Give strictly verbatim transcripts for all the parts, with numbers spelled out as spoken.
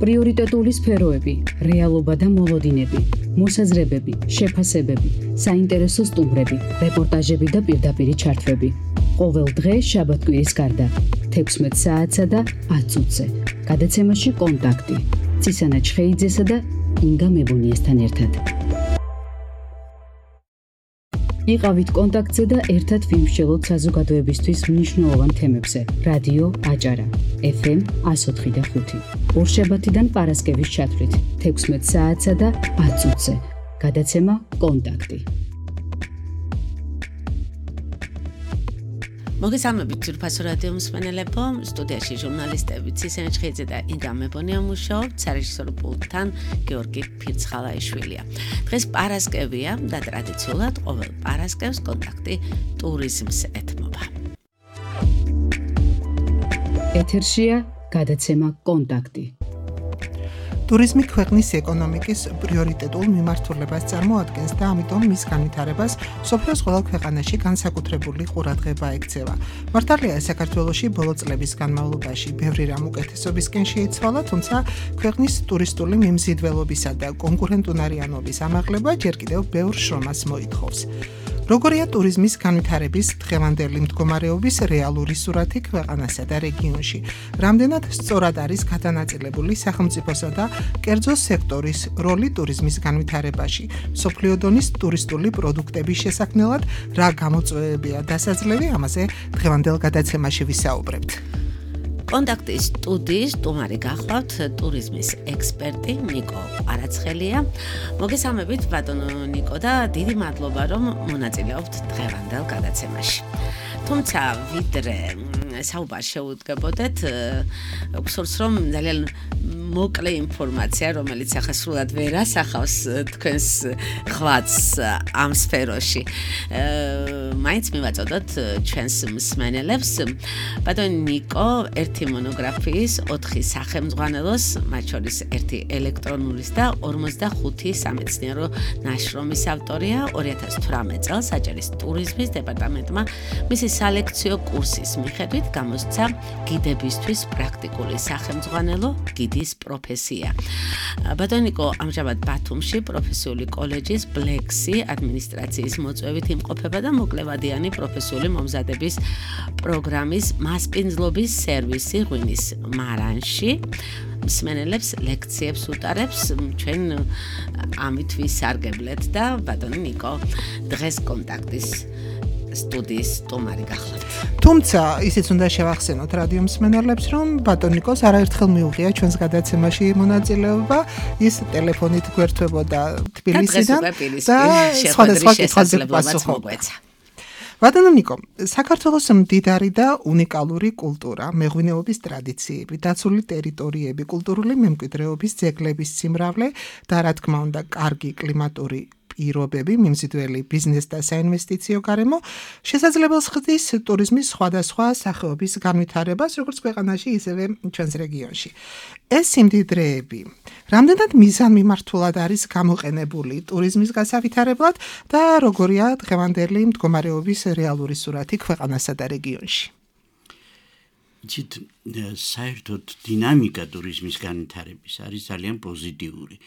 პრიორიტეტული სფეროები, რეალობა და მოლოდინები, მოსაზრებები, შეფასებები, საინტერესო სტუმრები, რეპორტაჟები და პირდაპირი ჩართვები. ყოველ დღე შაბათ-კვირის გარდა, თექვსმეტ საათსა და ათ წუთზე. გადაცემაში კონტაქტი. ცისანა ჩხეიძესა და ინგა მებუნიესთან ერთად. იყავით კონტაქტზე და ერთად ვიმსჯელოთ საზოგადოებისთვის მნიშვნელოვან თემებზე. რადიო აჭარა, ეფ ემ εκατო ოთხი და ხუთი. ორშაბათიდან პარასკევის ჩათვლით, თექვსმეტ საათსა და ათ წუთზე. გადაცემა კონტაქტი. მოგესალმებით ძვირფასო რადიო მსმენელებო, სტუდიაში ჟურნალისტები ცისანა ჩხეიძე და ინგა მებონია მუშაობთ, სარეჟისორო პულტთან გიორგი ფირცხალაიშვილია. დღეს პარასკევია და ტრადიციულად ყოველ პარასკევს კონტაქტი ტურიზმს ეთმობა. ეთერშია გადაცემა კონტაქტი. ტურიზმი ქვეყნის ეკონომიკის პრიორიტეტულ მიმართულებას წარმოადგენს და ამიტომ მის განვითარებას მსოფლიოს ყველა ქვეყანაში განსაკუთრებული ყურადღება ექცევა. მართალია, საქართველოში ბოლო წლების განმავლობაში ბევრი რამ უკეთესობისკენ შეიცვალა, თუმცა ქვეყნის ტურისტული მიმზიდველობისა და კონკურენტუნარიანობის ამაღლება ჯერ კიდევ ბევრ შრომას მოითხოვს. როგორია ტურიზმის განვითარების დღევანდელი მდგომარეობის რეალური სურათი ქვეყანასა და რეგიონში? რამდენად სწორად არის გადანაწილებული სახელმწიფოსა და კერძო სექტორის როლი ტურიზმის განვითარებაში? მსოფლიო დონის ტურისტული პროდუქტების შესაქმნელად რა გამოწვევებია დასაძლევი? ამაზე დღევანდელ გადაცემაში ვისაუბრებთ. კონტაქტის სტუდიის სტუმარი გახლავთ ტურიზმის ექსპერტი ნიკო ყარაცხელია. მოგესალმებით ბატონო ნიკო და დიდი მადლობა რომ მონაწილეობთ დღევანდელ გადაცემაში. თუმცა ვიდრე საუბარს შეუდგებოდეთ, გსურს რომ ძალიან მოკლე ინფორმაცია, რომელიც ახლა სრულად ვერ ასახავს თქვენს ღვაწს ამ სფეროში. მაინც მივაწოდოთ ჩვენს მსმენელებს. ბატონო ნიკო ერთი მონოგრაფიის, ოთხი სახელმძღვანელოს, მათ შორის ერთი ელექტრონულის და ორმოცდახუთი სამეცნიერო ნაშრომის ავტორია. ორი ათას თვრამეტ წელს აჭარის ტურიზმის დეპარტამენტმა მისი სალექციო კურსის მიხედვით გამოსცა გიდებისთვის პრაქტიკული სახელმძღვანელო გიდის პროფესია. ბატონო ნიკო ამჟამად ბათუმში პროფესიული კოლეჯის ბლექსი ადმინისტრაციის მოწვევით იმყოფება და მოკლევადიანი პროფესიული მომზადების პროგრამის მასპინძლობის სერვისი ღვინის მარანში მსმენელებს ლექციებს უტარებს. ჩვენ ამით ვისარგებლეთ და ბატონო ნიკო დღეს კონტაქტის სტუდიის სტუმარი გახლავთ. თუმცა ისიც უნდა შევახსენოთ რადიო მსმენელებს, რომ ბატონო ნიკოს არაერთხელ მიუღია ჩვენს გადაცემაში მონაწილეობა, ის ტელეფონით გვერდებოდა თბილისიდან და სხვადასხვა კითხვებზე პასუხობდა. ბატონო ნიკო, საქართველოს მდიდარი და უნიკალური კულტურა, მეღვინეობის ტრადიციები, დაცული ტერიტორიები, კულტურული მემკვიდრეობის ძეგლების სიმრავლე და რა თქმა უნდა კარგი კლიმატური პირობები, მიმზიდველი ბიზნეს და საინვესტიციო გარემო შესაძლებელს ხდის ტურიზმის სხვადასხვა სახეობის განვითარებას, როგორც ქვეყანაში, ისევე ჩვენს რეგიონში. ეს სიმდიდრეები რამდენად მიზანმიმართულად არის გამოყენებული ტურიზმის გასავითარებლად და როგორია დღევანდელი მდგომარეობის რეალური სურათი ქვეყანასა და რეგიონში? იცით, საერთოდ დინამიკა ტურიზმის განვითარების არის ძალიან პოზიტიური.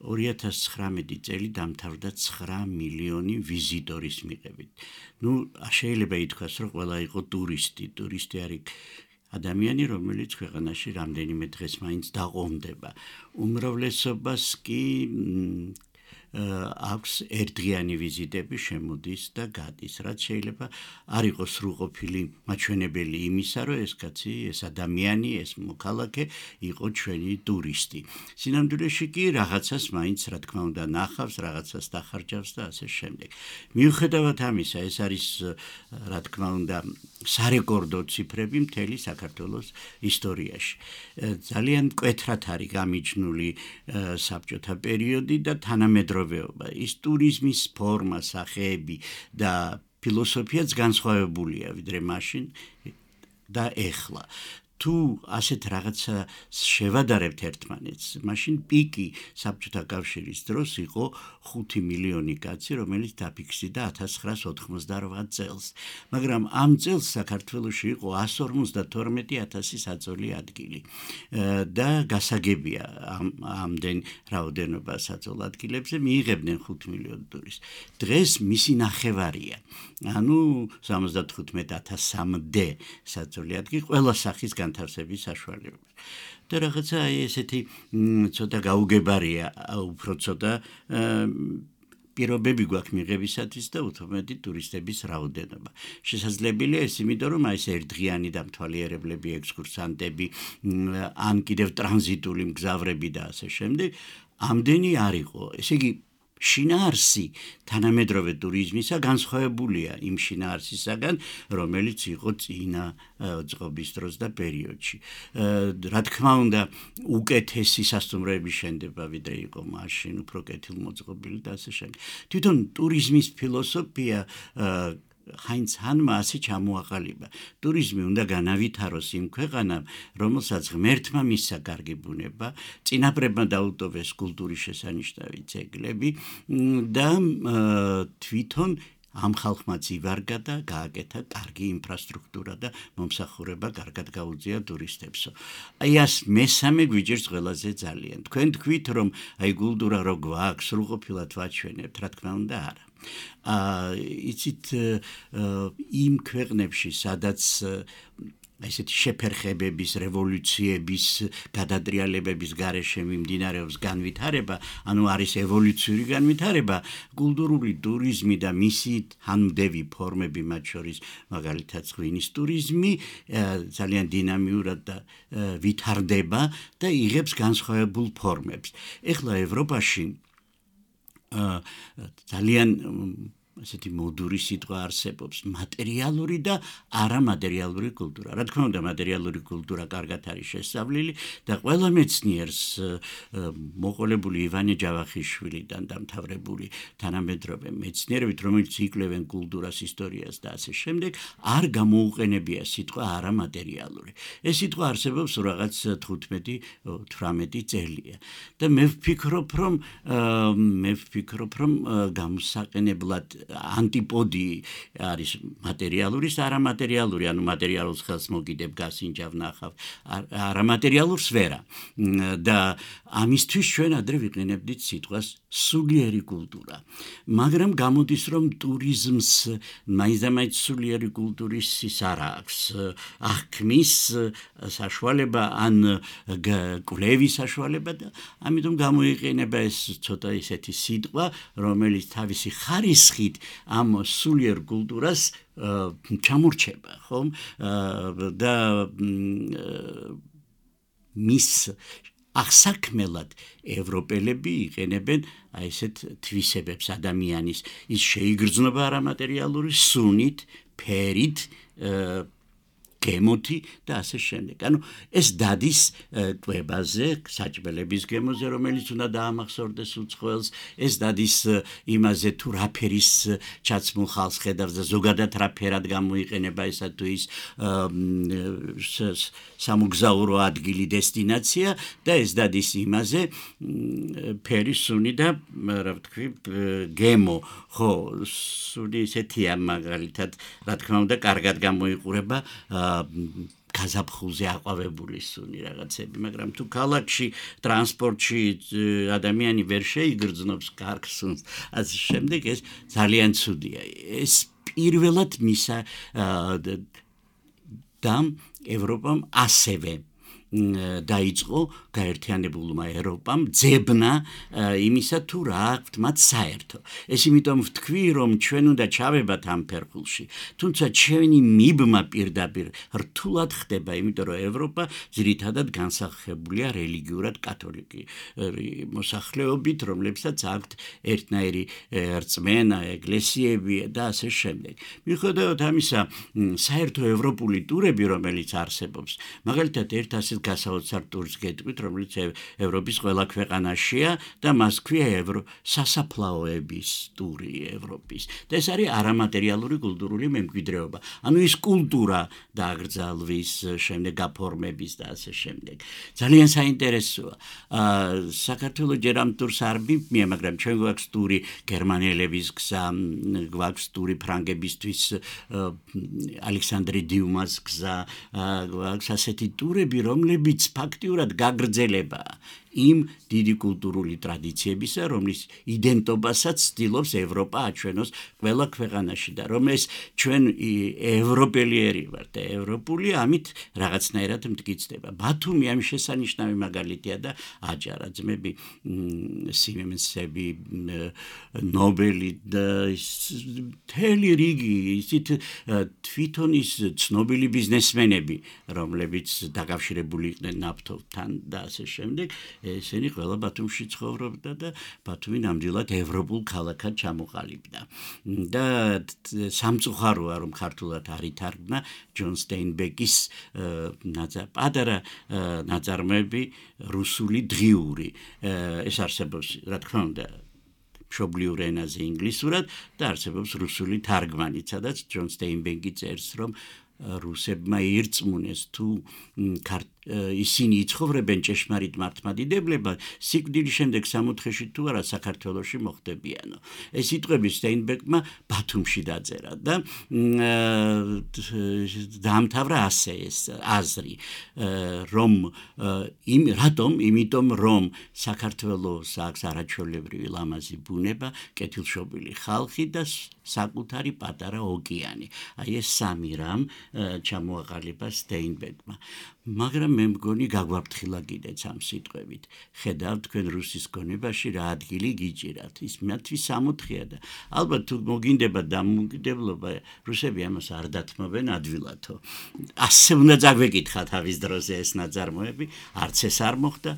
ორი ათას ცხრამეტი წელი დამთავრდა ცხრა მილიონი ვიზიტორის მიღებით. ნუ შეიძლება ითქვას, რომ ყველა იყო ტურისტი. ტურისტი არის ადამიანი, რომელიც ქვეყანაში რამდენიმე დღეს მაინც დაყრდნობა. უმრავლესობას კი აქვს ერთდღიანი ვიზიტები, შემოდის და გადის. რაც შეიძლება არ იყოს სრულყოფილი მაჩვენებელი იმისა, რომ ეს კაცი, ეს ადამიანი, ეს მოქალაქე იყო ჩვენი ტურისტი. სინამდვილეში კი რაღაცას მაინც რა თქმა უნდა ნახავს, რაღაცას დახარჯავს და ასე შემდეგ. მიუხედავად ამისა, ეს არის რა თქმა უნდა სარეკორდო ციფრები მთელი საქართველოს ისტორიაში. ძალიან მკვეთრად არის გამიჯნული საბჭოთა პერიოდი და თანამედროვე ის ტურიზმის ფორმა, სახეები და ფილოსოფიაც განსხვავებულია ვიდრე მაშინ და ეხლა. თუ ასეთ რაღაცა შევადარებთ ერთმანეთს, მაშინ პიკი საბჭოთა კავშირის დროს იყო ხუთი მილიონი კაცი, რომელიც დაფიქსირდა ათას ცხრაას ოთხმოცდაორ წელს. მაგრამ ამ წელს საქართველოში იყო ასს ორმოცდათორმეტი ათასი საწოლი ადგილი. და გასაგებია ამ ამდენ რაოდენობა საწოლ ადგილებზე მიიღებდნენ ხუთ მილიონ ტურისტს. დღეს მისი ნახევარია. ანუ სამოცდათხუთმეტ ათასამდე საწოლი ადგილი ყველა სახის განთავსების საშუალება. და რაღაცა ესეთი ცოტა გაუგებარია, უფრო ცოტა პირობები გვაქვს მიღებისათვის და უთმობდი ტურისტების რაოდენობა. შესაძლებელია ეს, იმიტომ რომ აი ეს ერთდღიანი დამთვალიერებლები, ექსკურსანტები, ან კიდევ ტრანზიტული მგზავრები და ასე შემდეგ, ამდენი არ იყო. ესე იგი შინაარსი თანამედროვე ტურიზმისა განსხვავებულია იმ შინაარსისაგან, რომელიც იყო წინა წყობის დროს და პერიოდში. რა თქმა უნდა, უკეთესი სასტუმროების შენდება, ვიდრე იყო მაშინ, უფრო კეთილმოწყობილი და ასე შემდეგ. თვითონ ტურიზმის ფილოსოფია ჰაინც ჰანმა ასე ჩამოაყალიბა. ტურიზმი უნდა განავითაროს იმ ქვეყანამ, რომელსაც ღმერთმა მისცა კარგი ბუნება, წინაპრებმა დაუტოვეს კულტურის შესანიშნავი ძეგლები და თვითონ ამ ხალხმა ივარგა და გააკეთა კარგი ინფრასტრუქტურა და მომსახურება კარგად გაუწია ტურისტებსო. აი ას მესამე გვიჭირს ყველაზე ძალიან. თქვენ თქვით, რომ აი კულტურა რო გვაქვს, სრულყოფილად ვაჩვენებთ, რა თქმა უნდა არა. იცით იმ ქვეყნებში, სადაც ესეთი შეფერხებების, რევოლუციების, გადატრიალებების გარეშე მიმდინარეობს განვითარება, ანუ არის ევოლუციური განვითარება, კულტურული ტურიზმი და მისი თანმდევი ფორმები, მათ შორის მაგალითად ღვინის ტურიზმი, ძალიან დინამიურად და ვითარდება და იღებს განსხვავებულ ფორმებს. ეხლა ევროპაში ძალიან ასეთი მოდური სიტყვა არსებობს, მატერიალური და არამატერიალური კულტურა. რა თქმა უნდა, მატერიალური კულტურა კარგად არის შესწავლილი და ყველა მეცნიერს მოყოლებული ივანე ჯავახიშვილიდან დამთავრებული თანამედროვე მეცნიერებით, რომელიც იკვლევენ კულტურას, ისტორიას და ასე შემდეგ, არ გამოუყენებია სიტყვა არამატერიალური. ეს სიტყვა არსებობს რაღაც თხუთმეტი თვრამეტი წელია. და მე ვფიქრობ, რომ მე ვფიქრობ, რომ გამოსაყენებლად ანტიპოდი არის მატერიალურის არამატერიალური, ანუ მატერიალურს ხელს მოგიდებ, გასინჯავ, ნახავ, არამატერიალურ სფერა. და ამისთვის ჩვენ ადრე ვიყენებდით სიტყვას სულიერი კულტურა. მაგრამ გამოდის, რომ ტურიზმს მაინც სულიერი კულტურის ის არ აქვს. აღქმის საშუალება ან კვლევის საშუალება და ამიტომ გამოიყენება ეს ცოტა ისეთი სიტყვა, რომელიც თავისი ხარისხით ამ სულიერ კულტურას ჩამორჩება, ხომ? და მის აღსაქმელად ევროპელები იყენებენ აი ესეთ თვისებებს ადამიანის, ის შეიგრძნობა არამატერიალური სუნით, ფერით, გემოთი და ასე შემდეგ. ანუ ეს დადის ტვებაზე, საჭმელების გემოზე, რომელიც უნდა დაამახსოვრდეს უცხოელს, ეს დადის იმაზე თუ რა ფერის ჩაცმულ ხალხს ხედავს და ზოგადად რა ფერად გამოიყენება ესა თუ ის სამოგზაურო ადგილი, დესტინაცია და ეს დადის იმაზე ფერი, სუნი და რა ვთქვი, გემო. ხო, სუნი ისეთია მაგალითად, რა თქმა უნდა, კარგად გამოიყურება გაზაფხულზე აყვავებული სუნი რაღაცები, მაგრამ თუ ქალაქში, ტრანსპორტში ადამიანი ვერ შეიგრძნობს კარგ სუნს, ასე შემდეგ ეს ძალიან ცუდია. ეს პირველად მისა და ევროპამ ასევე დაიწყო გაერთიანებულმა ევროპამ ძებნა იმისა თუ რა აქვთ მათ საერთო. ეს იმიტომ ვთქვი, რომ ჩვენ უნდა ჩავებათ ამ ფერხულში. თუმცა ჩვენი მიბმა პირდაპირ რთულად ხდება, იმიტომ რომ ევროპა ძირითადად განსახებულია რელიგიურად კათოლიკი მოსახლეობით, რომლებსაც აქვთ ერთნაირი რწმენა, ეკლესიები და ასე შემდეგ. მიუხედავად ამისა, საერთო ევროპული ტურები, რომელიც არსებობს, მაგალითად ერთ ასეთ გასაოცარ ტურს გეტყვით, რომელიც ევროპის ყველა ქვეყანაშია და მას ქვია евро სასაფლაოების ტური ევროპის. და ეს არის არამატერიალური კულტურული მემკვიდრეობა. ანუ ის კულტურა დააგრძალვის, შემდეგ გაფორმების და ასე შემდეგ. ძალიან საინტერესოა. საქართველოს ჯერ ამ ტურს არ მიმია, მაგრამ ჩვენ გვაქვს ტური გერმანელების გზა, გვაქვს ტური ფრანგებისთვის ალექსანდრე დიუმას გზა, გვაქვს ასეთი ტურები, რომლებიც ფაქტიურად გაგრძელებაა იმ დიდი კულტურული ტრადიციებისა, რომლის იდენტობასაც ცდილობს ევროპა აჩვენოს ყველა ქვეყანაში და რომ ეს ჩვენ ევროპელიერი ვართ და ევროპული ამით რაღაცნაირად მტკიცდება. ბათუმი ამ შესანიშნავი მაგალითია და აჭარა ძმები სიმენსები, ნობელი და მთელი რიგი ისეთ თვითონ ის ცნობილი ბიზნესმენები, რომლებიც დაკავშირებული იყვნენ ნავთობთან და ასე შემდეგ. ესენი ყველა ბათუმში ცხოვრობდა და ბათუმი ნამდვილად ევროპულ ქალაქად ჩამოყალიბდა. და სამწუხაროა, რომ ქართულად არ ითარგმნა ჯონ სტეინბეკის პატარა ნაწარმოები რუსული დღიური. ეს არსებობს, რა თქმა უნდა, მშობლიურ ენაზე ინგლისურად და არსებობს რუსული თარგმანიც, სადაც ჯონ სტეინბეკი წერს, რომ რუსებმა ირწმუნეს თუ ისინი იცხოვრებენ ჭეშმარიტ მართლმადიდებლებად, სიკვდილის შემდეგ სამოთხეში თუ არა საქართველოში მოხდებიანო. ეს სიტყვები სტეინბეკმა ბათუმში დაწერა და დაამთავრა ასე ეს აზრი, რომ იმ რატომ, იმიტომ რომ საქართველოს აქვს არაჩვეულებრივი ლამაზი ბუნება, კეთილშობილი ხალხი და საკუთარი პატარა ოკეანე. აი ეს სამი რამ ჩამოაყალიბა სტეინბეკმა. მაგრამ მე მგონი გაგვაფრთხილა კიდეც ამ სიტყვებით. ხედავთ თქვენ რუსის გონებაში რა ადგილი გიჭირათ. ის მათთვის სამოთხეა და ალბათ თუ მოგინდება დამოუკიდებლობა, რუსები ამას არ დათმობენ ადვილათო. ასე უნდა წაგვეკითხა თავის დროზე ეს ნაწარმოები, არც ეს არ მოხდა.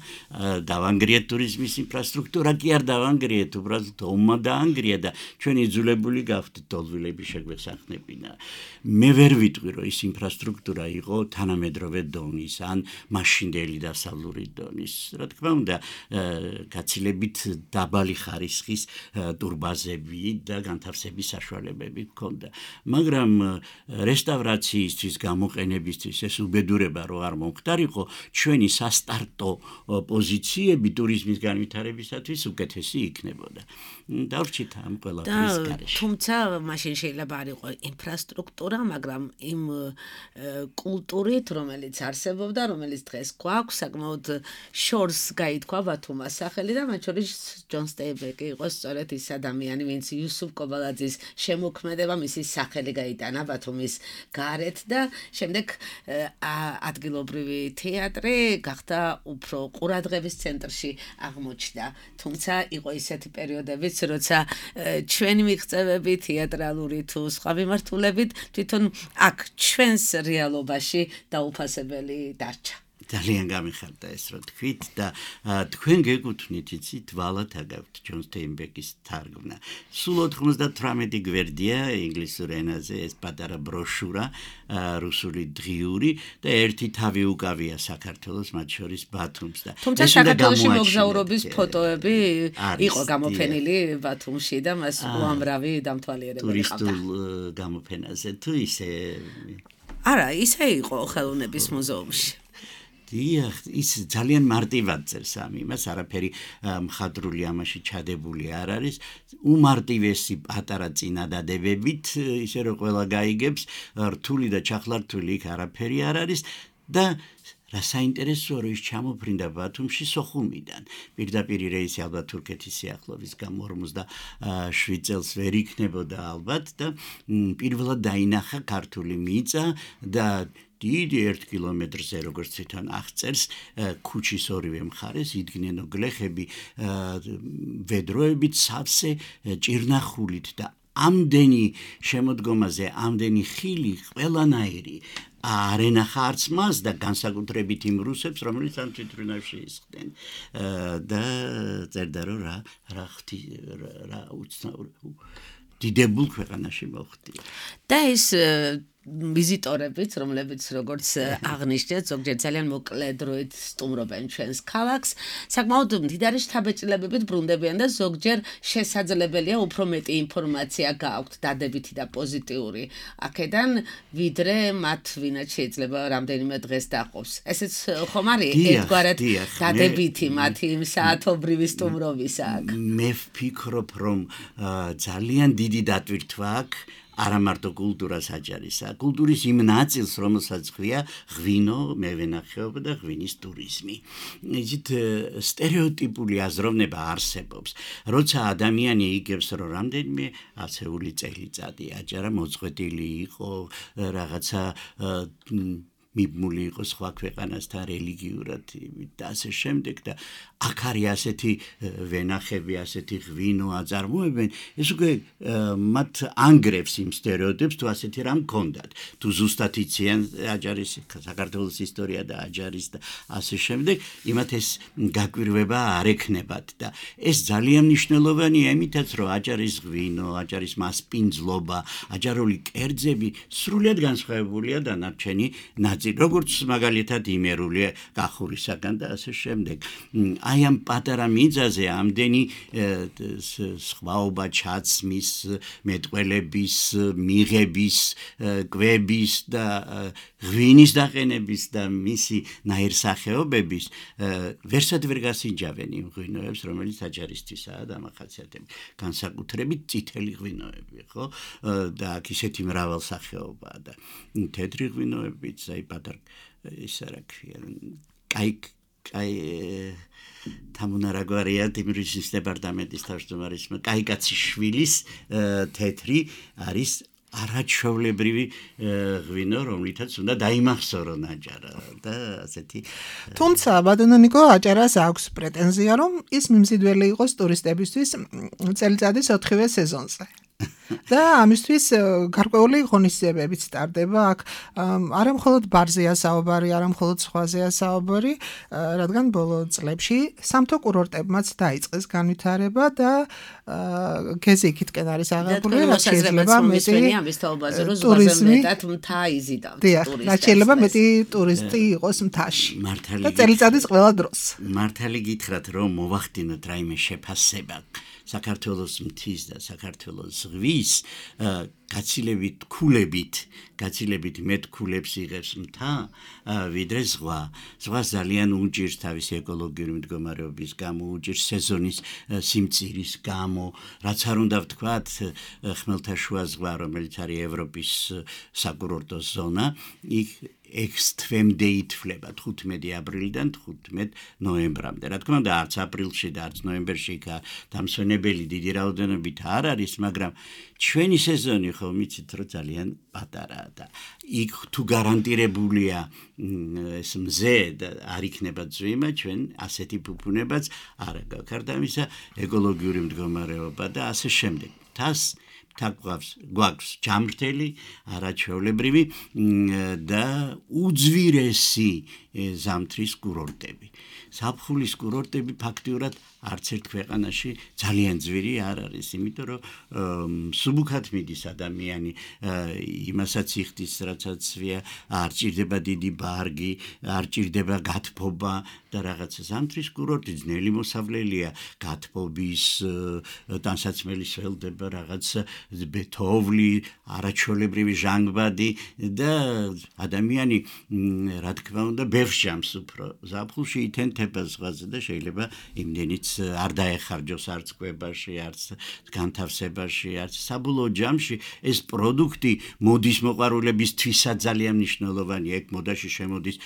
დავანგრიეთ ტურიზმის ინფრასტრუქტურა, კი არ დავანგრიეთ, უბრალოდ ომმა დაანგრია და ჩვენი იძულებული გავხდით დოლვილები შეგვესახნებინა. მე ვერ ვიტყვი, რომ ის ინფრასტრუქტურა იყო თანამედროვე დონის ან მაშინდელი დასავლური დონის. რა თქმა უნდა, გაცილებით დაბალი ხარისხის ტურბაზები და განთავსების საშუალებები ჰქონდა. მაგრამ რესტავრაციისთვის, გამოყენებისთვის ეს უბედურება რო არ მომხდარიყო, ჩვენი სასტარტო პოზიციები ტურიზმის განვითარებისათვის უკეთესი იქნებოდა. დავრჩით ამ ყველაფრის გარეშე. თუმცა მაშინ შეიძლება არ იყო ინფრასტრუქტურა, მაგრამ იმ კულტურით, რომელიც არსებობდა, რომელიც დღეს გვაქვს, საკმაოდ შორს გაითქვა ბათუმას სახელი და მათ შორის ჯონ სტეინბეკი იყო სწორედ ის ადამიანი, ვინც იუსუფ კობალაძის შემოქმედება, მისი სახელი გაიტანა ბათუმის გარეთ და შემდეგ ადგილობრივი თეატრი გახდა უფრო ყურადღების ცენტრში აღმოჩნდა. თუმცა იყო ისეთი პერიოდებიც, როცა ჩვენი მიღწევები თეატრალური თუ სხვა მიმართულებით თვითონ აქ ჩვენს რეალობაში დაუფასებელი დარჩა. ძალიან გამიხარდა ეს რო თქვით და თქვენ გეკუთვნით იცით ვალად აგავთ ჯონ სტეინბეკის თარგმნა. სულ ოთხმოცდათვრამეტი გვერდია ინგლისურ ენაზე ეს პატარა ბროშურა რუსული დღიური და ერთი თავი უკავია საქართველოს, მათ შორის ბათუმს და თუმცა საქართველოში მოგზაურობის ფოტოები იყო გამოფენილი ბათუმში და მას უამრავი დამთვალიერებელი ჰყავდა. ტურისტულ გამოფენაზე თუ ისე არა, ისე იყო ხელოვნების მუზეუმში. დიახ, ის ძალიან მარტივად წერს ამ იმას, არაფერი მხადრული ამაში ჩადებული არ არის. უმარტივესი პატარა წინადადებებით, ისე რომ ყველა გაიგებს, რთული და ჩახლართული იქ არაფერი არ არის და რა საინტერესოა, რომ ის ჩამოფრინდა ბათუმში სოხუმიდან. პირდაპირ რეისი ალბათ თურქეთის სიახლოვის გამო ორმოცდაშვიდ წელს ვერ იქნებოდა ალბათ და პირველად დაინახა ქართული მიწა და დიდი ერთ კილომეტრზე როგორც თვითონ აღწერს, ქუჩის ორივე მხარეს იდგნენ გლეხები ვედროებით სავსე ჭირნახულით და ამდენი შემოდგომაზე, ამდენი ხილი ყველანაირი არ ენახა არც მას და განსაკუთრებით იმ რუსებს, რომელიც ამ თვითმფრინავში ისხდნენ და წერდა რომ რა რა ხთი რა უცნაური დიდებულ ქვეყანაში მოხდია. და ეს ვიზიტორებიც, რომლებიც როგორც აღნიშნეთ, ზოგჯერ ძალიან მოკლე დროით სტუმრობენ ჩვენს ქალაქს, საკმაოდ მდიდარი შთაბეჭდილებებით ბრუნდებიან და ზოგჯერ შესაძლებელია უფრო მეტი ინფორმაცია გააქვთ დადებითი და პოზიტიური აქედან, ვიდრე მათ ვინაც შეიძლება რამდენიმე დღეს დაყოს. ესეც ხომ არის ერთგვარად დადებითი მათი იმ საათობრივი სტუმრობისა აქ. მე ვფიქრობ, რომ ძალიან დიდი დატვირთვა აქვს არა მარტო კულტურას აჯარისა, კულტურის იმ ნაწილს, რომელსაც ქვია ღვინო, მევენახეობა და ღვინის ტურიზმი. იცით, სტერეოტიპული აზროვნება არსებობს. როცა ადამიანი იგებს, რომ რამდენიმე ასეული წელიწადი აჯარა მოწყვეტილი იყო, რაღაცა მიბმული იყო სხვა ქვეყანასთან რელიგიურად და ასე შემდეგ და აქ არის ასეთი ვენახები, ასეთი ღვინო აწარმოებენ, ეს უკვე მათ ანგრევს იმ სტერეოტიპს, თუ ასეთი რამ გქონდათ. თუ ზუსტად იციან აჯარის საქართველოს ისტორია და აჯარის და ასე შემდეგ, იმათ ეს გაკვირვება არ ექნებათ და ეს ძალიან მნიშვნელოვანია იმითაც, რომ აჯარის ღვინო, აჯარის მასპინძლობა, აჯარული კერძები სრულიად განსხვავებულია დანარჩენი ნაწილ როგორც მაგალითად იმერულია კახურისაგან და ასე შემდეგ. აი ამ პატარა მიწაზე ამდენი სხვაობა ჩაცმის, მეტყველების, მიღების, კვების და ღვინის დაყენების და მისი ნაირსახეობების ვერსად ვერ გასინჯავენ იმ ღვინოებს, რომელიც აჯარისთვისაა დამახასიათებელი. განსაკუთრებით წითელი ღვინოები, ხო? და აქ ისეთი მრავალსახეობაა და თეთრი ღვინოებიც, აი პატარ ის რა ქვია, კაი კაი თამუნარაგვარია დიმრისის დეპარტამენტის თავმჯდომარის კაიკაციშვილის თეთრი არის არაჩვეულებრივი ღვინო, რომლითაც უნდა დაიმახსოვრონ აჯარა და ასეთი. თუმცა ბატონო აჯარას აქვს პრეტენზია, რომ ის მიმზიდველი იყოს ტურისტებისთვის წელიწადის ოთხივე სეზონზე. და ამისთვის გარკვეული ღონისძიებებიც ტარდება აქ არა მხოლოდ ბარზეა საუბარი, არა მხოლოდ სხვაზეა საუბარი, რადგან ბოლო წლებში სამთო კურორტებმაც დაიწყეს განვითარება და გეზიკითკენ არის აღებული, რაც შეიძლება მეტი ამის თაობაზე, რომ ზღვაზე მეტად მთა იზიდავთ ტურისტებს. რაც შეიძლება მეტი ტურისტი იყოს მთაში. და წელიწადის ყველა დროს. მართალი გითხრათ, რომ მოვახდინოთ რაიმე შეფასება საქართველოს მთის და საქართველოს ზღვის გაცილებით ქულებით, გაცილებით მეტ ქულებს იღებს მთა, ვიდრე ზღვა. ზღვა ძალიან უჭირს თავისი ეკოლოგიური მდგომარეობის გამო, უჭირს სეზონის სიმწირის გამო, რაც არ უნდა ვთქვათ, ხმელთაშუა ზღვა, რომელიც არის ევროპის საკურორტო ზონა, იქ ექვს თვემდე ითვლება თხუთმეტი აპრილიდან თხუთმეტ ნოემბრამდე. რა თქმა უნდა, არც აპრილში და არც ნოემბერში იქ დამსვენებელი დიდი რაოდენობით არ არის, მაგრამ ჩვენი სეზონი ხო მიცით, რომ ძალიან პატარაა და იქ თუ გარანტირებულია ეს მზე და არ იქნება წვიმა, ჩვენ ასეთი ფუფუნებაც არ გაქვს ამისა ეკოლოგიური მდგომარეობა და ასე შემდეგ. თას თაგვავს გვაქვს ჯამრთელი, არაჩვეულებრივი და უძვირესი ზამთრის კურორტები. ზაფხულის კურორტები ფაქტიურად არც ერთ ქვეყანაში ძალიან ძვირი არ არის, იმიტომ რომ მსუბუქად მიდის ადამიანი იმასაც იხდის, რაცაც ვია, არ ჭირდება დიდი ბარგი, არ ჭირდება გათბობა და რაღაცა. ზამთრის კურორტი ძნელი მოსავლელია, გათბობის, ტანსაცმელი სველდება, რაღაცა ბეთოვლი, არაჩვეულებრივი ჟანგბადი და ადამიანი, რა თქმა უნდა, ბევრს ჟამს უფრო. ზაფხულში ითენთება ზღვაზე და შეიძლება იმდენიც არ დაეხარჯოს არც კვებაში, არც განთავსებაში, არც საბოლოო ჯამში ეს პროდუქტი მოდის მოყვარულებისთვისაც ძალიან მნიშვნელოვანია. ეგ მოდაში შემოდის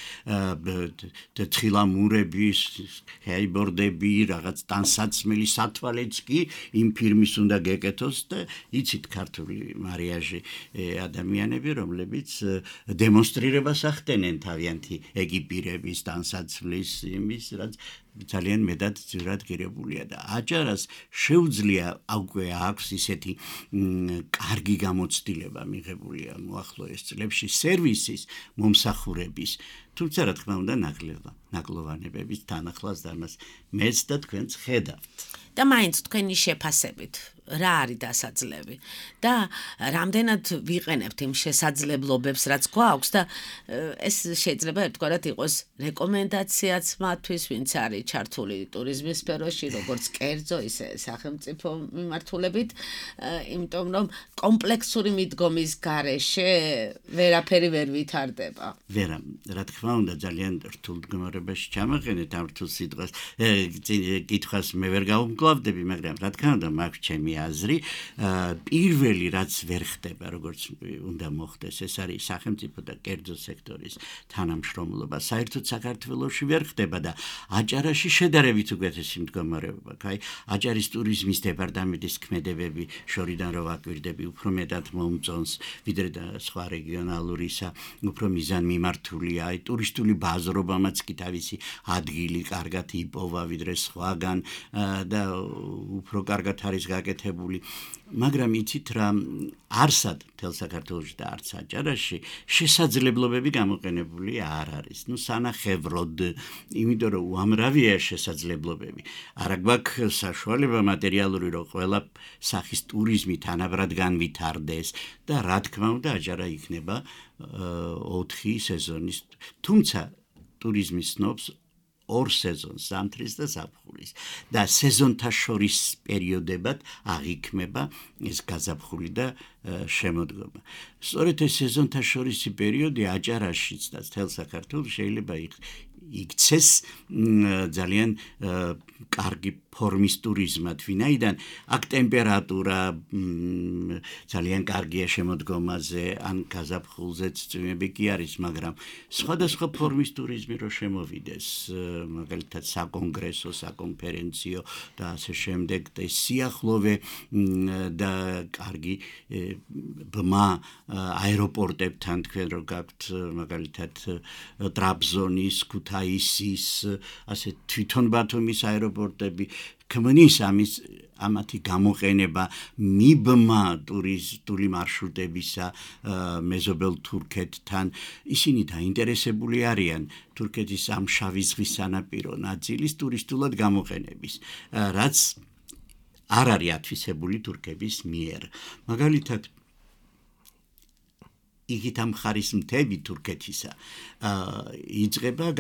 თხილამურები, ჰეიბორდები, რაღაც ტანსაცმელი სათვალეც კი იმ ფირმის უნდა გეკეთოს და იცით ქართული მარიაჟი ადამიანები, რომლებიც დემონსტრირებას ახდენენ თავიანთი ეკიპირების, ტანსაცმლის, იმის, რაც ძალიან მეტად ძირად ღირებულია და აჭარას შეუძლია უკვე აქვს ისეთი კარგი გამოცდილება მიღებულია მოახლოეს წლებში სერვისის მომსახურების თუმცა რა თქმა უნდა ნაკლება ნაკლოვანებების თანახლას და მას მეც და თქვენც ხედავთ და მაინც თქვენი შეფასებით რა არის დასაძლები და რამდენად ვიყენებთ იმ შესაძლებლობებს რაც გვაქვს და ეს შეიძლება ერთგვარად იყოს რეკომენდაციაც მათთვის ვინც არის ჩართული ტურიზმის სფეროში როგორც კერძო ისე სახელმწიფო მიმართულებით იმიტომ რომ კომპლექსური მიდგომის გარეშე ვერაფერი ვერ ვითარდება ვერა რა თქმა უნდა ძალიან რთულ მდგომარეობაში ჩამაყენეთ ამ რთულ სიტყვას კითხვას მე ვერ გავუმკლავდები მაგრამ რა თქმა უნდა მაქვს ჩემი აზრი პირველი რაც ვერ ხდება როგორც უნდა მოხდეს ეს არის სახელმწიფო და კერძო სექტორის თანამშრომლობა საერთოდ საქართველოში ვერ ხდება და აჭარაში შედარებით უკეთესი მდგომარეობა აი აჭარის ტურიზმის დეპარტამენტის ქმედებები შორიდან რო ვაკვირდები უფრო მეტად მომწონს ვიდრე და სხვა რეგიონალურისა უფრო მიზანმიმართულია აი ტურისტული ბაზრობამაც კი თავისი ადგილი კარგად იპოვა ვიდრე სხვაგან და უფრო კარგად არის გაკეთებული მაგრამ იცით რა არსად თელ საქართველოში და არც აჭარაში შესაძლებლობები გამოყენებული არ არის ნუ სანახევროდ იმიტომ რომ უამრავია შესაძლებლობები არა გვაქვს საშუალება მატერიალური რომ ყველა სახის ტურიზმი თანაბრად განვითარდეს და რა თქმა უნდა აჭარა იქნება ოთხი სეზონის თუმცა ტურიზმის სნობს ორ სეზონს ზამთრის და ზაფხულის და სეზონთა შორის პერიოდებად აღიქმება ეს გაზაფხული და შემოდგომა. სწორედ ეს სეზონთა შორისი პერიოდი აჭარაშიც და თელ საქართველოს შეიძლება იქცეს ძალიან კარგი ფორმის ტურიზმად ვინაიდან აქ ტემპერატურა ძალიან კარგია შემოდგომაზე ან გაზაფხულზეც წვიმები კი არის მაგრამ სხვადასხვა ფორმის ტურიზმი რო შემოვიდეს მაგალითად საკონგრესო საკონფერენციო და ასე შემდეგ და სიახლოვე და კარგი ბმა აეროპორტებთან თქვენ რო გაქვთ მაგალითად ტრაბზონის ქუთაისის ასე თვითონ ბათუმის აეროპორტები ქმნის ამის ამათი გამოყენება მიბმა ტურისტული მარშრუტებისა მეზობელ თურქეთთან ისინი დაინტერესებული არიან თურქეთის ამ შავი ზღვის სანაპირო ნაწილის ტურისტულად გამოყენების რაც არ არის ათვისებული თურქების მიერ მაგალითად იგით ამ ხარის მთები თურქეთისა იწყება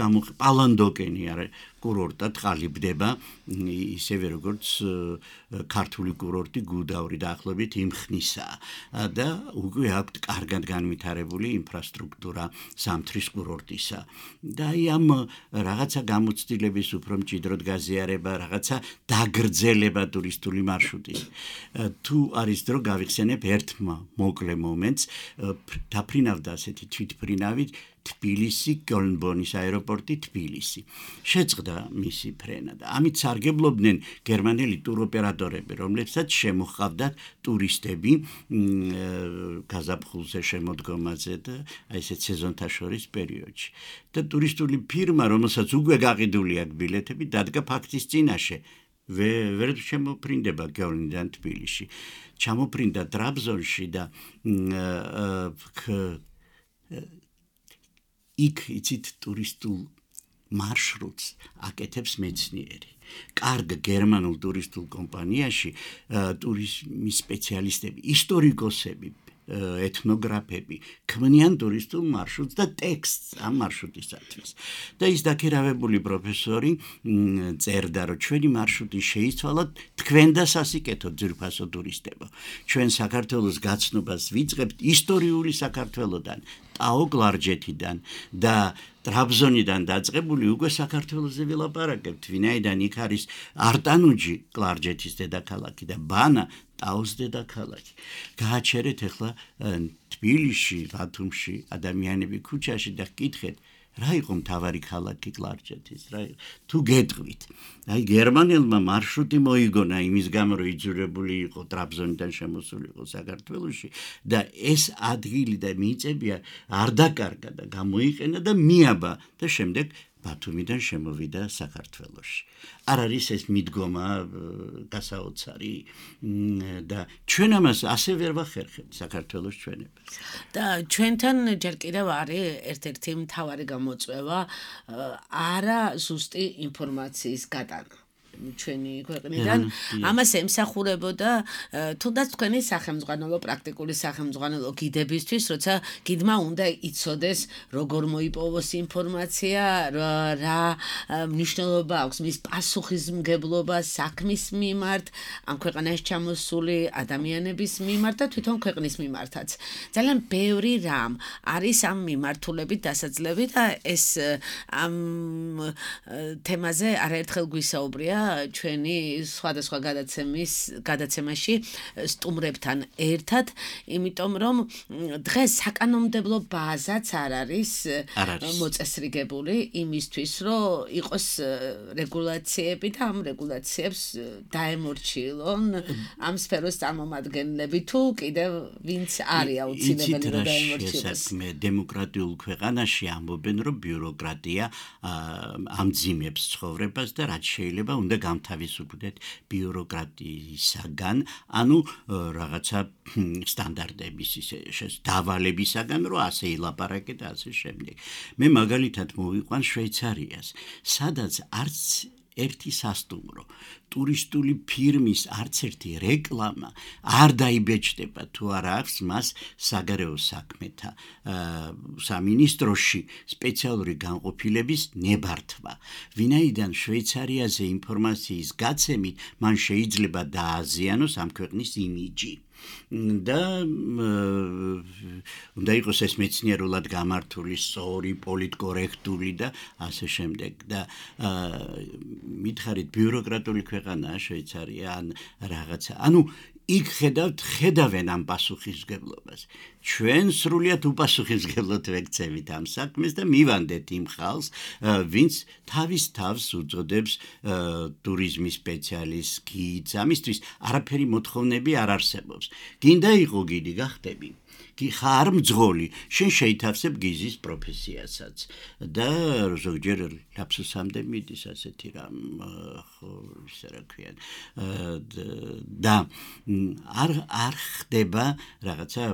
პალანდოკენი არის კურორტად ყალიბდება ისევე როგორც ქართული კურორტი გუდაური დაახლოებით იმ ხნისაა და უკვე აქვთ კარგად განვითარებული ინფრასტრუქტურა ზამთრის კურორტისა და აი ამ რაღაცა გამოცდილების უფრო მჭიდროდ გაზიარება რაღაცა დაგრძელება ტურისტული მარშრუტის თუ არის დრო გავიხსენებ ერთ მოკლე მომენტს დაფრინავდა ასეთი თვითფრინავით თბილისი კოლნბონის აეროპორტი თბილისი შეწყდა მისი ფრენა და ამით სარგებლობდნენ გერმანელი ტუროპერატორები რომლებსაც შემოჰყავდათ ტურისტები გაზაფხულზე შემოდგომაზე და აი ესეთ სეზონთა შორის პერიოდში და ტურისტული ფირმა რომელსაც უკვე გაყიდული აქვს ბილეთები დადგა ფაქტის წინაშე ვერ შემოფრინდება კოლნიდან თბილისში ჩამოფრინდა ტრაბზონში და იქ იცით ტურისტულ მარშრუტს აკეთებს მეცნიერი. კარგ გერმანულ ტურისტულ კომპანიაში ტურიზმის სპეციალისტები, ისტორიკოსები, ეთნოგრაფები ქმნიან ტურისტულ მარშრუტს და ტექსტს ამ მარშრუტისათვის. და ის დაქირავებული პროფესორი წერდა, რომ ჩვენი მარშრუტი შეიცვალა თქვენ და სასიკეთო ძვირფასო ტურისტებო. ჩვენ საქართველოს გაცნობას ვიწყებთ ისტორიული საქართველოდან, ტაო კლარჯეთიდან და ტრაბზონიდან დაწყებული უკვე საქართველოზე ვილაპარაკებთ, ვინაიდან იქ არის არტანუჯი კლარჯეთის დედაქალაქი და ბანა ტაოს დედაქალაქი. გააჩერეთ ახლა თბილისში, ბათუმში, ადამიანები ქუჩაში და გკითხეთ, რა იყო მთავარი ქალაქი კლარჯეთის, რა თუ გეტყვით. აი გერმანელმა მარშრუტი მოიგონა იმის გამო, რომ იძულებული იყო ტრაბზონიდან შემოსული იყო საქართველოში და ეს ადგილი და მიწები არ დაკარგა და გამოიყენა და მიაბა და შემდეგ ბათუმიდან შემოვიდა საქართველოში. არ არის ეს მიდგომა გასაოცარი და ჩვენ ამას ასე ვერ ვახერხებთ საქართველოს ჩვენებას. და ჩვენთან ჯერ კიდევ არის ერთ-ერთი მთავარი გამოწვევა არა ზუსტი ინფორმაციის გატანა. ჩვენი ქვეყნიდან ამას ემსახურებოდა თუნდაც თქვენი სახელმძღვანელო პრაქტიკული სახელმძღვანელო გიდებისთვის, როცა გიდმა უნდა იცოდეს როგორ მოიპოვოს ინფორმაცია, რა მნიშვნელობა აქვს მის პასუხისმგებლობა საქმის მიმართ, ამ ქვეყანაში ჩამოსული ადამიანების მიმართ და თვითონ ქვეყნის მიმართაც. ძალიან ბევრი რამ არის ამ მიმართულებით დასაძლევი და ეს ამ თემაზე არაერთხელ გვისაუბრია ჩვენი სხვადასხვა გადაცემის გადაცემაში სტუმრებთან ერთად, იმიტომ რომ დღეს საკანონმდებლო ბაზაც არ არის მოწესრიგებული იმისთვის, რომ იყოს რეგულაციები და ამ რეგულაციებს დაემორჩილონ ამ სფეროს წარმომადგენლები თუ კიდევ ვინც არის აუცილებელი რომ დაემორჩილოს. მე დემოკრატიულ ქვეყანაში ამბობენ, რომ ბიუროკრატია ამძიმებს ცხოვრებას და რაც შეიძლება უნდა გამთავისუფლდეთ ბიუროკრატიისაგან, ანუ რაღაცა სტანდარტების დავალებისაგან, რომ ასე ილაპარაკეთ და ასე შემდეგ. მე მაგალითად მოვიყვან შვეიცარიას, სადაც არც ერთი სასტუმრო, ტურისტული ფირმის არც ერთი რეკლამა არ დაიბეჭდება თუ არა აქვს მას საგარეო საქმეთა სამინისტროში სპეციალური განყოფილების ნებართვა. ვინაიდან შვეიცარიაზე ინფორმაციის გაცემით მან შეიძლება დააზიანოს ამ ქვეყნის იმიჯი. და უნდა იყოს ეს მეცნიერულად გამართული, სწორი, პოლიტკორექტული და ასე შემდეგ. და მითხარით ბიუროკრატული ქვეყანაა შვეიცარია ან რაღაცა. ანუ იქ ხედავთ, ხედავენ ამ პასუხისმგებლობას. ჩვენ სრულიად უპასუხისმგებლოდ ვექცევით ამ საქმეს და მივანდეთ იმ ხალხს, ვინც თავის თავს უწოდებს ტურიზმის სპეციალისტს, გიდს, ამისთვის არაფერი მოთხოვნები არ არსებობს. გინდა იყო გიდი, გახდები. კი ხარ მძღოლი, შენ შეითავსებ გიზის პროფესიასაც და ზოგჯერ ლაფსუსამდე მიდის ასეთი რამ, ხო, ისე რა ქვიან. და არ არ ხდება რაღაცა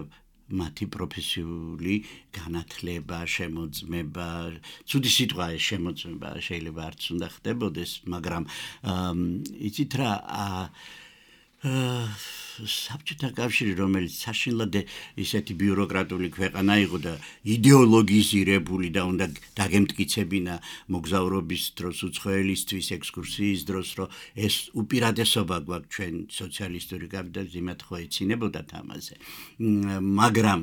მათი პროფესიული განათლება, შემოწმება, ცუდი სიტყვა ეს შემოწმება შეიძლება არც უნდა ხდებოდეს, მაგრამ იცით რა საბჭოთა კავშირი, რომელიც საშინლად ისეთი ბიუროკრატული ქვეყანა იყო და იდეოლოგიზირებული და უნდა დაგემტკიცებინა მოგზაურობის დროს, უცხოელისთვის, ექსკურსიის დროს, რომ ეს უპირატესობა გვაქვს ჩვენ სოციალისტური კაპიტალიზმის იმათ ხო ეცინებოდათ ამაზე. მაგრამ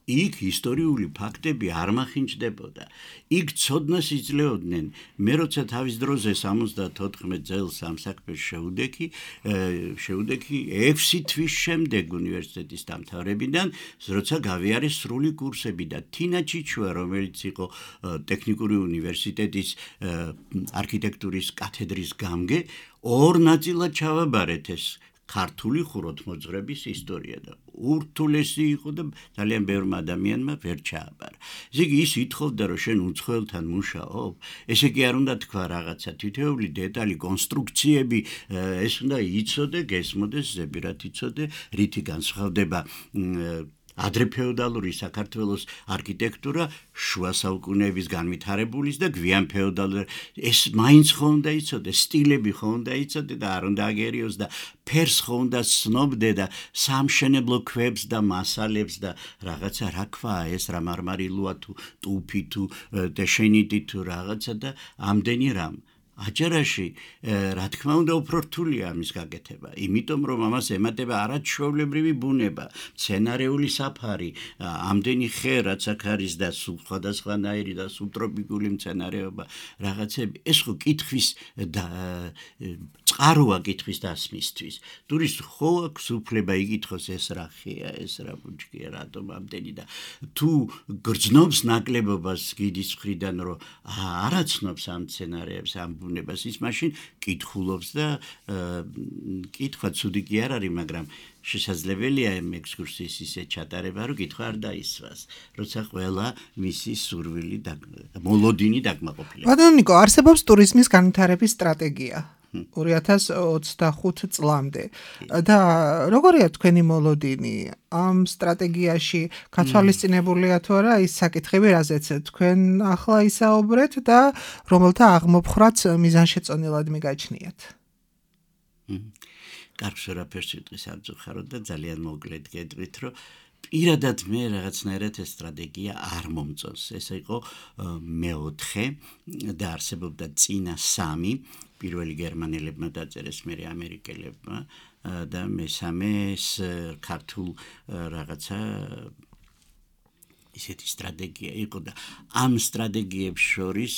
იქ ისტორიული ფაქტები არ მახინჯდებოდა. იქ ცოდნას იძლეოდნენ. მე როცა თავის დროზე სამოცდათოთხმეტ წელს ამ საქმეს შევდექი, შევდექი ექვსი თვის შემდეგ უნივერსიტეტის დამთავრებიდან, როცა გავიარე სრული კურსები და თინა ჩიჩუა, რომელიც იყო ტექნიკური უნივერსიტეტის არქიტექტურის კათედრის გამგე, ორ ნაწილად ჩავაბარეთ ეს ქართული ხუროთმოძღვრების ისტორია და ურთულესი იყო და ძალიან ბევრმა ადამიანმა ვერ ჩააბარა. ესე იგი ის ითხოვდა, რომ შენ უცხოელთან მუშაობ, ესე იგი არ უნდა თქვა რაღაცა თითოეული დეტალი, კონსტრუქციები, ეს უნდა იცოდე, გესმოდეს, ზებირად იცოდე, რითი განსხვავდება ადრეფეოდალური საქართველოს არქიტექტურა შუა საუკუნეების განვითარებულის და გვიან ფეოდალური. ეს მაინც ხო უნდა იცოდე, სტილები ხო უნდა იცოდე და არ უნდა აგერიოს და ფერს ხო უნდა ცნობდე და სამშენებლო ქვებს და მასალებს და რაღაცა რა ქვაა ეს, რა მარმარილოა თუ ტუფი თუ დეშენიტი თუ რაღაცა და ამდენი რამ. აჯარაში, რა თქმა უნდა, უფრო რთულია ამის გაკეთება, იმიტომ რომ ამას ემატება არაჩვეულებრივი ბუნება, მცენარეული საფარი, ამდენი ხე, რაც აქ არის და სხვადასხვანაირი და სუბტროპიკული მცენარეობა, რაღაცები, ეს ხო კითხვის და წყაროა კითხვის დასმისთვის. ტურისტ ხო აქვს უფლება იკითხოს ეს რა ხეა, ეს რა ბუჩქია, რატომ ამდენი და თუ გრძნობს ნაკლებობას გიდის მხრიდან, რომ არაცნობს ამ მცენარეებს, ამ დაბრუნებას ის მაშინ კითხულობს და კითხვა ცუდი კი არ არის, მაგრამ შესაძლებელია ამ ექსკურსიის ისე ჩატარება, რომ კითხვა არ დაისვას, როცა ყველა მისი სურვილი და მოლოდინი დაკმაყოფილება. ბატონო ნიკო, არსებობს ტურიზმის განვითარების სტრატეგია ორი ათას ოცდახუთ წლამდე და როგორია თქვენი მოლოდინი ამ სტრატეგიაში გათვალისწინებულია თუ არა ის საკითხები, რაზეც თქვენ ახლა ისაუბრეთ და რომელთა აღმოფხრაც მიზანშეწონილად მიგაჩნიათ? კარგს ვერაფერს ვიტყვის არ წუხაროთ და ძალიან მოკლედ გეტყვით, რომ პირადად მე რაღაცნაირად ეს სტრატეგია არ მომწონს. ეს იყო მეოთხე და არსებობდა წინა სამი, პირველი გერმანელებმა დაწერეს, მერე ამერიკელებმა და მესამე ქართულ რაღაცა ისეთი სტრატეგია იყო და ამ სტრატეგიებს შორის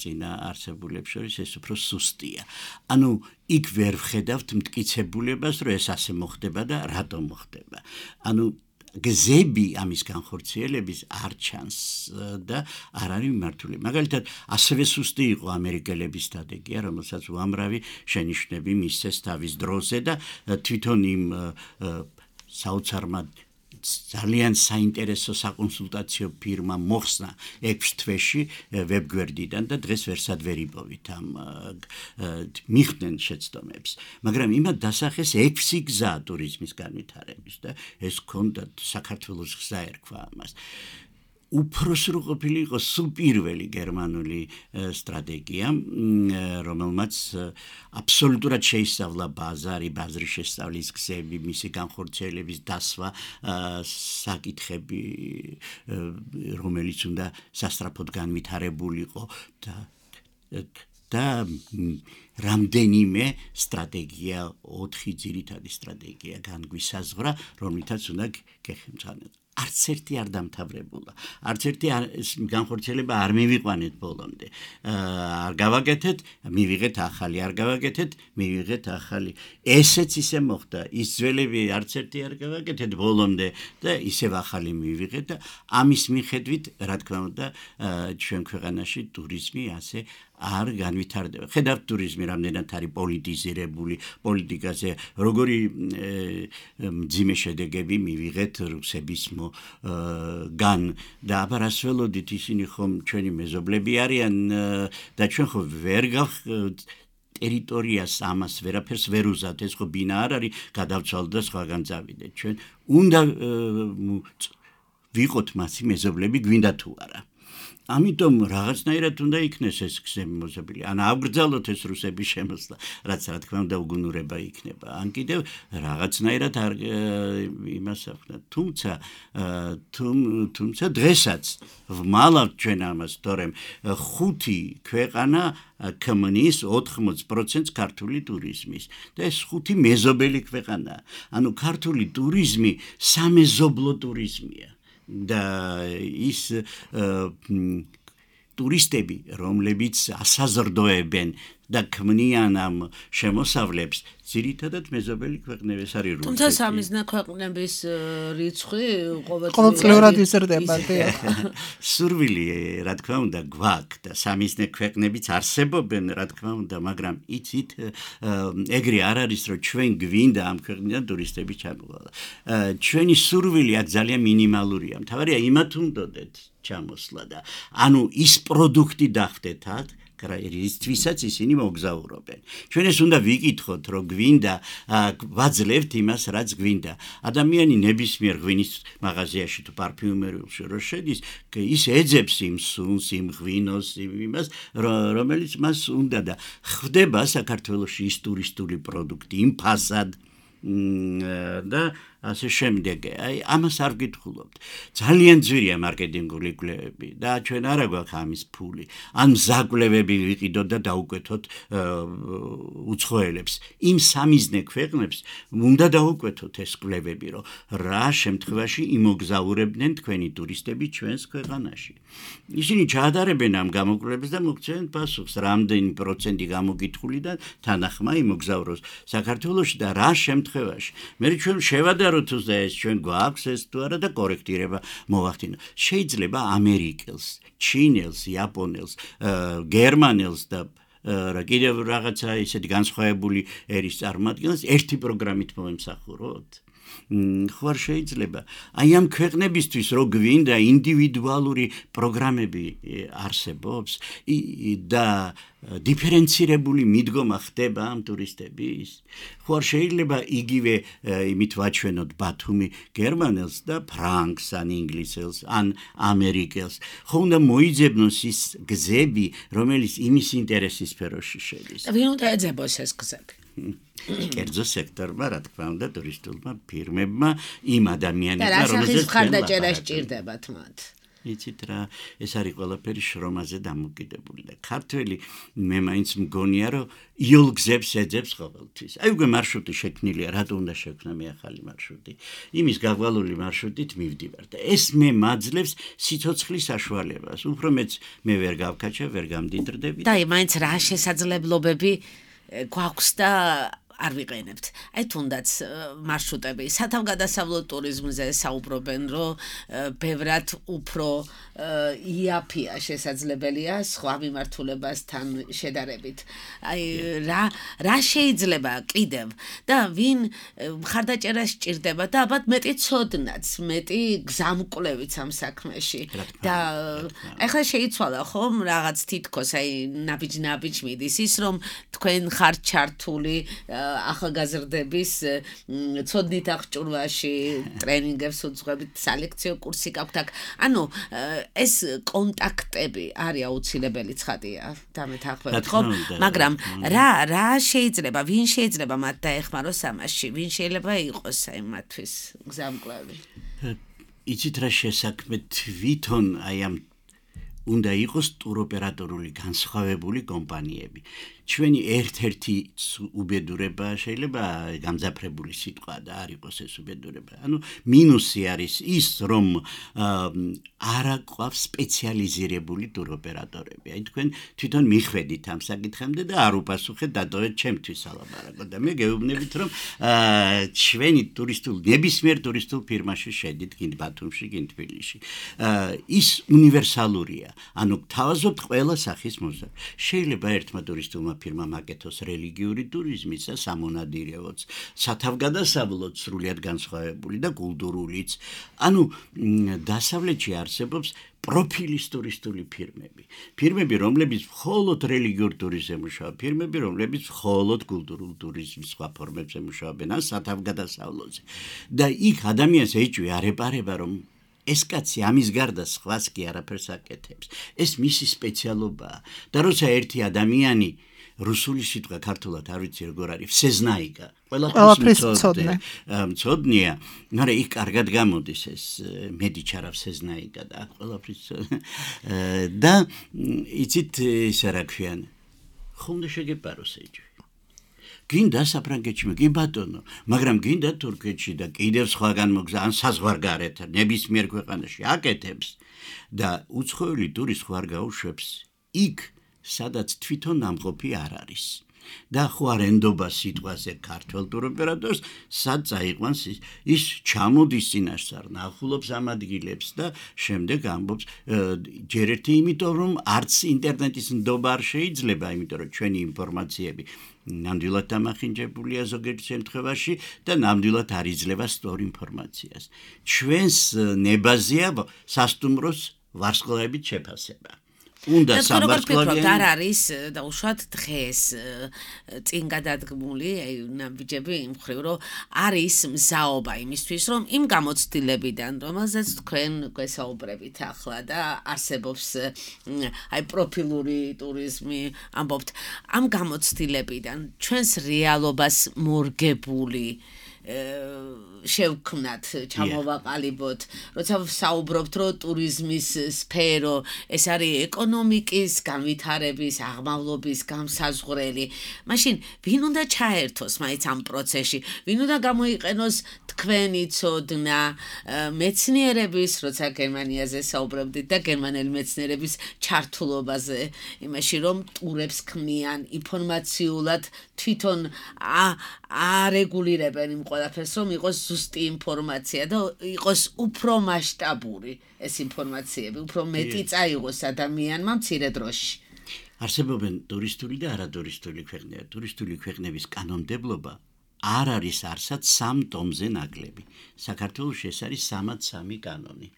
წინა არსებულებს შორის ეს უფრო სუსტია. ანუ იქ ვერ ვხედავთ მტკიცებულებას, რომ ეს ასე მოხდება და რატომ მოხდება. ანუ გზები ამის განხორციელების არ ჩანს და არ არის მიმართული. მაგალითად, ასევე სუსტი იყო ამერიკელების სტრატეგია, რომელსაც უამრავი შენიშვნები მისცეს თავის დროზე და თვითონ იმ საოცარმა ძალიან საინტერესო საკონსულტაციო ფირმა მოხსნა ექვს თვეში ვებგვერდიდან და დღეს ვერსად ვერ იპოვით ამ მიხდნენ შეცდომებს. მაგრამ იმათ დასახეს ექვსი გზა ტურიზმის განვითარების და ეს ჰქონდა საქართველოს გზა ერქვა ამას. უფრო სრულყოფილი იყო სულ პირველი გერმანული სტრატეგია, რომელმაც აბსოლუტურად შეისწავლა ბაზარი, ბაზრის შესწავლის გზები, მისი განხორციელების დასვა, საკითხები, რომელიც უნდა სასწრაფოდ განვითარებულიყო და და რამდენიმე სტრატეგია, ოთხი ძირითადი სტრატეგია განგვისაზღვრა, რომლითაც უნდა გეხმძანოთ. არც ერთი არ დამთავრებულა. არც ერთი განხორციელება არ მივიყვანეთ ბოლომდე. არ გავაკეთეთ, მივიღეთ ახალი, არ გავაკეთეთ, მივიღეთ ახალი. ესეც ისე მოხდა. ის ძველები არც ერთი არ გავაკეთეთ ბოლომდე და ისევ ახალი მივიღეთ და ამის მიხედვით, რა თქმა უნდა, ჩვენ ქვეყანაში ტურიზმი ასე არ განვითარდება. ხედავთ ტურიზმი რამდენად არის პოლიტიზირებული, პოლიტიკაზე როგორი მძიმე შედეგები მივიღეთ რუსების გან და აბარას ველოდით ისინი ხომ ჩვენი მეზობლები არიან და ჩვენ ხო ვერ გავხ ტერიტორიას ამას ვერაფერს ვერ უზავთ, ეს ხო ბინა არ არის, გადავცვალოთ და სხვაგან წავიდეთ. ჩვენ უნდა ვიყოთ მასი მეზობლები, გვინდა თუ არა. ამიტომ რაღაცნაირად უნდა იქნეს ეს გზები მოზრდილი. ან ავგრძალოთ ეს რუსების შემოსვლა, რაც რა თქმა უნდა უგუნურება იქნება. ან კიდევ რაღაცნაირად არ იმას ავნათ. თუმცა თუმცა დღესაც ვმალავთ ჩვენ ამას, თორემ ხუთი ქვეყანა ქმნის ოთხმოცდ პროცენტს ქართული ტურიზმის და ეს ხუთი მეზობელი ქვეყანაა. ანუ ქართული ტურიზმი სამეზობლო ტურიზმია. და ის ტურისტები, რომლებიც ასაზრდოებენ და ქმნიან ამ შემოსავლებს, ძირითადად მეზობელი ქვეყნები არის რუსეთი. თუმცა სამიზნე ქვეყნების რიცხვი ყოველწლიურად იზრდება. სურვილი, რა თქმა უნდა, გვაქვს და სამიზნე ქვეყნებიც არსებობენ, რა თქმა უნდა, მაგრამ იცით, ეგრე არ არის, რომ ჩვენ გვინდა ამ ქვეყნიდან ტურისტები ჩამოვალ. ჩვენი სურვილი აქ ძალიან მინიმალურია. მთავარია იმათ უნდოდეთ ჩამოსვლა და ანუ ის პროდუქტი დახვდეთ აქ, რისთვისაც ისინი მოგზაურობენ. ჩვენ ეს უნდა ვიკითხოთ, რომ გვინდა, ვაძლევთ იმას, რაც გვინდა. ადამიანი ნებისმიერ ღვინის მაღაზიაში თუ პარფიუმერიაში რო შედის, ის ეძებს იმ სუნს, იმ ღვინოს, იმას, რომელიც მას უნდა და ხდება საქართველოში ის ტურისტული პროდუქტი, იმ ფასად და ასე შემდეგ. აი ამას არ გითხულობთ. ძალიან ძვირია მარკეტინგული კვლევები და ჩვენ არა გვაქვს ამის ფული. ან მზაკვლევები ვიყიდოთ და დაუკვეთოთ უცხოელებს. იმ სამიზნე ქვეყნებს უნდა დაუკვეთოთ ეს კვლევები, რომ რა შემთხვევაში იმოგზაურებდნენ თქვენი ტურისტები ჩვენს ქვეყანაში. ისინი ჩაადარებენ ამ გამოკვლევებს და მოგცემენ პასუხს, რამდენი პროცენტი გამოგითხულიდან თანახმა იმოგზაუროს საქართველოში და რა შემთხვევაში. მე ჩვენ შევადაროთ და ეს ჩვენ გვაქვს ეს თუ არა და კორექტირება მოვახდინო. შეიძლება ამერიკელს, ჩინელს, იაპონელს, გერმანელს და რა კიდევ რაღაცა ისეთი განსხვავებული ერის წარმოადგენს ერთი პროგრამით მოემსახუროთ ხო არ შეიძლება აი ამ ქვეყნებისთვის რო გვინდა ინდივიდუალური პროგრამები არსებობს და დიფერენცირებული მიდგომა ხდება ამ ტურისტების ხო არ შეიძლება იგივე იმით ვაჩვენოთ ბათუმი გერმანელს და ფრანგს ან ინგლისელს ან ამერიკელს ხო უნდა მოიძებნოს ის გზები რომელიც იმის ინტერესის სფეროში შედის და ვინ უნდა ეძებოს ეს გზები კერძო სექტორმა რა თქმა უნდა ტურისტულმა ფირმებმა იმ ადამიანებმა რომელზეც ხარდაჭერა სჭირდებათ მათ იცით რა ეს არის ყველაფერი შრომაზე დამოკიდებული და ქართველი მე მაინც მგონია რომ იოლ გზებს ეძებს ყოველთვის აი უკვე მარშრუტი შექმნილია რატო უნდა შექმნა მე ახალი მარშრუტი იმის გავალული მარშრუტით მივდივარ და ეს მე მაძლევს სიცოცხლის საშუალებას უფრო მეც მე ვერ გავქაჩა ვერ გამდიდრდები და მაინც რა შესაძლებლობები გვაქვს და არ ვიყენებთ. აი თუნდაც მარშრუტები სათავგადასავლო ტურიზმზე საუბრობენ, რომ ბევრად უფრო იაფია შესაძლებელია სხვა მიმართულებასთან შედარებით. აი რა რა შეიძლება კიდევ და ვინ მხარდაჭერას სჭირდება და ალბათ მეტი ცოდნაც, მეტი გზამკვლევიც ამ საქმეში და ახლა შეიცვალა ხომ რაღაც თითქოს აი ნაბიჯ-ნაბიჯ მიდის ის რომ თქვენ ხართ ჩართული ახალგაზრდების ცოდნით აღჭურვაში ტრენინგებს უძღვებით სალექციო კურსი გაქვთ აქ ანუ ეს კონტაქტები არის აუცილებელი ცხადია დამეთანხმებით ხო მაგრამ რა რა შეიძლება ვინ შეიძლება მათ დაეხმაროს ამაში ვინ შეიძლება იყოს აი მათთვის გზამკვლევი იცით რა შესაქმე თვითონ აი ამ უნდა იყოს ტუროპერატორული განსხვავებული კომპანიები ჩვენი ერთ-ერთი უბედურება შეიძლება გამძაფრებული სიტყვა და არ იყოს ეს უბედურება. ანუ მინუსი არის ის, რომ არ აყვავს სპეციალიზირებული ტუროპერატორები. აი თქვენ თვითონ მიხვედით ამ საკითხამდე და არ უპასუხეთ დატოვეთ ჩემთვის ალაბარაკო და მე გეუბნებით, რომ ჩვენი ტურისტულ ნებისმიერ ტურისტულ ფირმაში შედით, გინდ ბათუმში, გინდ თბილისში. ის უნივერსალურია. ანუ თავაზობთ ყველა სახის მოზა. შეიძლება ერთმა ტურისტულმა ფირმა მაკეთოს რელიგიური ტურიზმის და სამონადირეოც, სათავგადასავლოც სრულიად განსხვავებული და კულტურულიც. ანუ დასავლეთში არსებობს პროფილის ტურისტული ფირმები. ფირმები, რომლებიც მხოლოდ რელიგიურ ტურიზმზე მუშაობენ, ფირმები, რომლებიც მხოლოდ კულტურულ ტურიზმის სხვა ფორმებზე მუშაობენ, ან სათავგადასავლოზე. და იქ ადამიანს ეჭვი არ ეპარება, რომ ეს კაცი ამის გარდა სხვას კი არაფერს აკეთებს. ეს მისი სპეციალობაა. და როცა ერთი ადამიანი რუსული სიტყვა ქართულად არ ვიცი როგორ არის, всезнайка. ყველაფრის მცოდნე. მცოდნეა, მაგრამ იქ კარგად გამოდის ეს მედიჩარა всезнайка და ყველაფრის და იცით ისე რა ქვიან. ხომ და შეგეპაროს ეჭვი. გინდა საფრანგეთში, კი ბატონო, მაგრამ გინდა თურქეთში და კიდევ სხვაგან მოგზა ან საზღვარგარეთ ნებისმიერ ქვეყანაში აკეთებს და უცხოელი ტურისტი ხარ გაუშვებს იქ სადაც თვითონ ნამყოფი არ არის. და ხო არ ენდობა სიტყვაზე ქართველ ტუროპერატორს, სად წაიყვანს ის, ის ჩამოდის წინაშე, ნახულობს ამ ადგილებს და შემდეგ ამბობს ჯერ ერთი იმიტომ რომ არც ინტერნეტის ნდობა არ შეიძლება, იმიტომ რომ ჩვენი ინფორმაციები ნამდვილად დამახინჯებულია ზოგიერთ შემთხვევაში და ნამდვილად არ იძლევა სწორ ინფორმაციას. ჩვენს ნებაზეა სასტუმროს ვარსკვლავებით შეფასება. უნდა სამარცვლავიანი არ არის და უშუალოდ დღეს წინ გადადგმული აი ნაბიჯები იმ ხრივ რომ არის მზაობა იმისთვის რომ იმ გამოცდილებიდან რომელზეც თქვენ გვესაუბრებით ახლა და არსებობს აი პროფილური ტურიზმი ამბობთ ამ გამოცდილებიდან ჩვენს რეალობას მორგებული შევქმნათ ჩამოვაყალიბოთ როცა საუბრობთ რომ ტურიზმის სფერო ეს არის ეკონომიკის განვითარების აღმავლობის გამსაზღვრელი მაშინ ვინ უნდა ჩაერთოს მაინც ამ პროცესში ვინ უნდა გამოიყენოს თქვენი ცოდნა მეცნიერების როცა გერმანიაზე საუბრობდით და გერმანელი მეცნიერების ჩართულობაზე იმაში რომ ტურებს ქმნიან ინფორმაციულად თვითონ არეგულირებენ იმ ყველაფერს რომ იყოს ზუსტი ინფორმაცია და იყოს უფრო მასშტაბური ეს ინფორმაციები, უფრო მეტი წაიღოს ადამიანმა მცირე დროში. არსებობენ ტურისტული და არატურისტული ქვეყნები. ტურისტული ქვეყნების კანონმდებლობა არ არის არსად სამ ტომზე ნაკლები. საქართველოში ეს არის სამად სამი კანონი.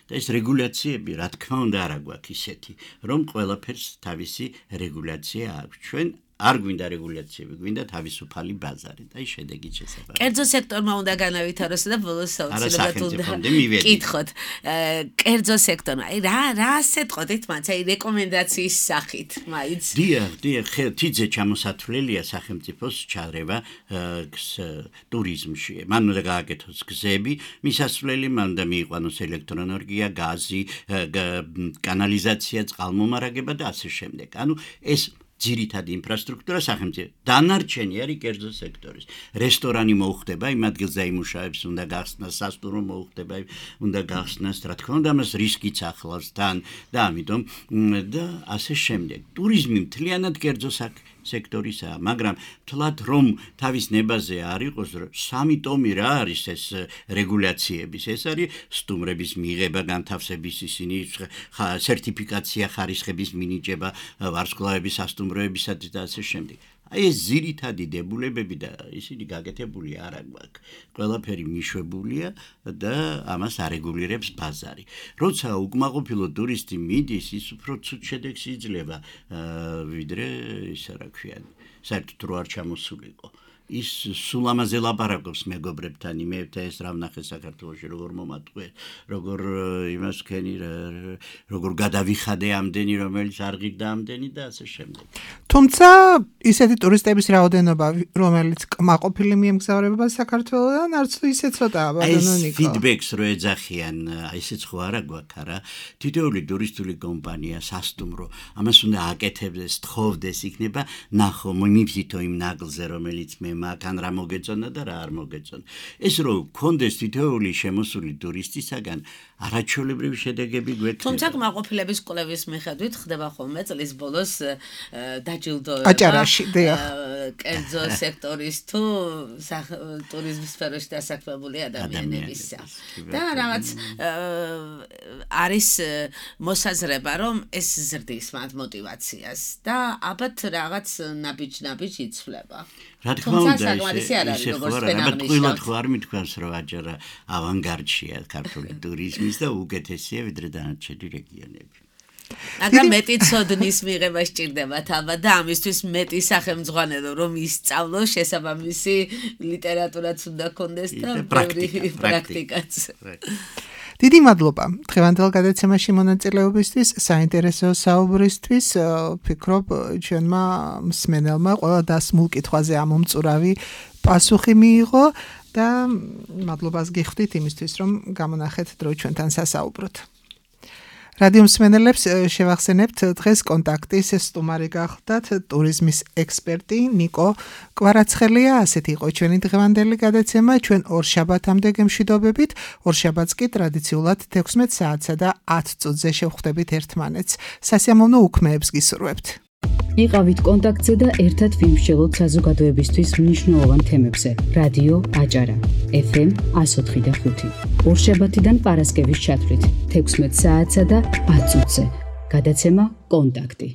და ეს რეგულაციები, რა თქმა უნდა, არა გვაქვს ისეთი, რომ ყველაფერს თავისი რეგულაცია აქვს. ჩვენ არ გვინდა რეგულაციები, გვინდა თავისუფალი ბაზარი და ის შედეგი შესაძლოა. კერძო სექტორმა უნდა განავითაროს და ბოლოს აუცილებლად უნდა კითხოთ. კერძო სექტორმა, აი რა რა ასეთყოდით მათ, აი რეკომენდაციის სახით, მაიც. დიახ, დიახ, თიძე ჩამოსათვლელია სახელმწიფოს ჩარევა ტურიზმში. მან უნდა გააკეთოს გზები, მისასვლელი, მან უნდა მიიყვანოს ელექტროენერგია, გაზი, კანალიზაცია, წყალმომარაგება და ასე შემდეგ. ანუ ეს ძირითადი ინფრასტრუქტურა სახელმწიფო. დანარჩენი არის კერძო სექტორის. რესტორანი მოუხდება, იმ ადგილზე იმუშავებს, უნდა გახსნას, სასტუმრო მოუხდება, უნდა გახსნას, რა თქმა უნდა, მას რისკიც ახლავს თან და ამიტომ და ასე შემდეგ. ტურიზმი მთლიანად კერძო სექტორისაა, მაგრამ თლათ რომ თავის ნებაზე არ იყოს, სამი ტომი რა არის ეს რეგულაციების, ეს არის სტუმრების მიღება, განთავსების ისინი, სერტიფიკაცია, ხარისხების მინიჭება, ვარსკვლავების სასტუმროებისათვის და ასე შემდეგ. აი ეს ძირითადი დებულებები და ისინი გაკეთებული არ აქვს. ყველაფერი მიშვებულია და ამას არეგულირებს ბაზარი. როცა უკმაყოფილო ტურისტი მიდის, ის უფრო ცუდ შედეგს იძლევა, ვიდრე ისა რა ქვია, საერთოდ რო არ ჩამოსულიყო. ის სულ ამაზე ლაპარაკობს მეგობრებთან, იმეებთან, ეს რა ვნახე საქართველოში, როგორ მომატყვე, როგორ იმას ქენი, როგორ გადავიხადე ამდენი, რომელიც არ ღირდა ამდენი და ასე შემდეგ. თუმცა ისეთი ტურისტების რაოდენობა, რომელიც კმაყოფილი მიემგზავრება საქართველოდან, არც თუ ისე ცოტაა, ბატონო ნიკო. ეს ფიდბექს რო ეძახიან, ისეც ხო არა გვაქვს, არა? თითოეული ტურისტული კომპანია, სასტუმრო, ამას უნდა აკეთებდეს, თხოვდეს, იქნება ნახო, მივზითო იმ ნაგლზე, რომელიც მე მაქან რა მოგეწონა და რა არ მოგეწონა. ეს რო გქონდეს თითოეული შემოსული ტურისტისაგან არაჩვეულებრივი შედეგები გვექნება. თუმცა კმაყოფილების კვლევის მიხედვით ხდება ხოლმე წლის ბოლოს დაჯილდოება აჭარაში, დიახ. კერძო სექტორის თუ ტურიზმის სფეროში დასაქმებული ადამიანებისა. და რაღაც არის მოსაზრება, რომ ეს ზრდის მათ мотивაციას და ალბათ რაღაც ნაბიჯ-ნაბიჯ იცვლება. რა თქმა უნდა, ისე ხო არა, ალბათ ყველად ხო არ მithქვას, რომ აჭარა ავანგარდშია ქართული ტურიზმის და უკეთესია ვიდრე დანარჩენი რეგიონები. მაგრამ მეტი ცოდნის მიღება სჭირდებათ ალბათ და ამისთვის მეტი სახელმძღვანელო რომ ისწავლოს, შესაბამისი ლიტერატურაც უნდა კონდეს და პრაქტიკაც. დიდი მადლობა დღევანდელ გადაცემაში მონაწილეობისთვის, საინტერესო საუბრისთვის. ვფიქრობ, ჩვენმა მსმენელმა ყველა დასმულ კითხვაზე ამომწურავი პასუხი მიიღო და მადლობას გიხდით იმისთვის, რომ გამონახეთ დრო ჩვენთან სასაუბროთ. რადიო მსმენელებს შევახსენებთ, დღეს კონტაქტის სტუმარი გახლდათ ტურიზმის ექსპერტი ნიკო კვარაცხელია. ასეთი იყო ჩვენი დღევანდელი გადაცემა. ჩვენ ორშაბათამდე გემშვიდობებით. ორშაბათს კი ტრადიციულად თექვსმეტ საათსა და ათ წუთზე შევხვდებით ერთმანეთს. სასიამოვნო უქმეებს გისურვებთ. იყავით კონტაქტზე და ერთად ვიმსჯელოთ საზოგადოებისთვის მნიშვნელოვან თემებზე. რადიო აჭარა ეფ ემ εκατო ოთხი და ხუთი. ორშაბათიდან პარასკევის ჩათვლით თექვსმეტ საათსა და ათ წუთზე. გადაცემა კონტაქტი.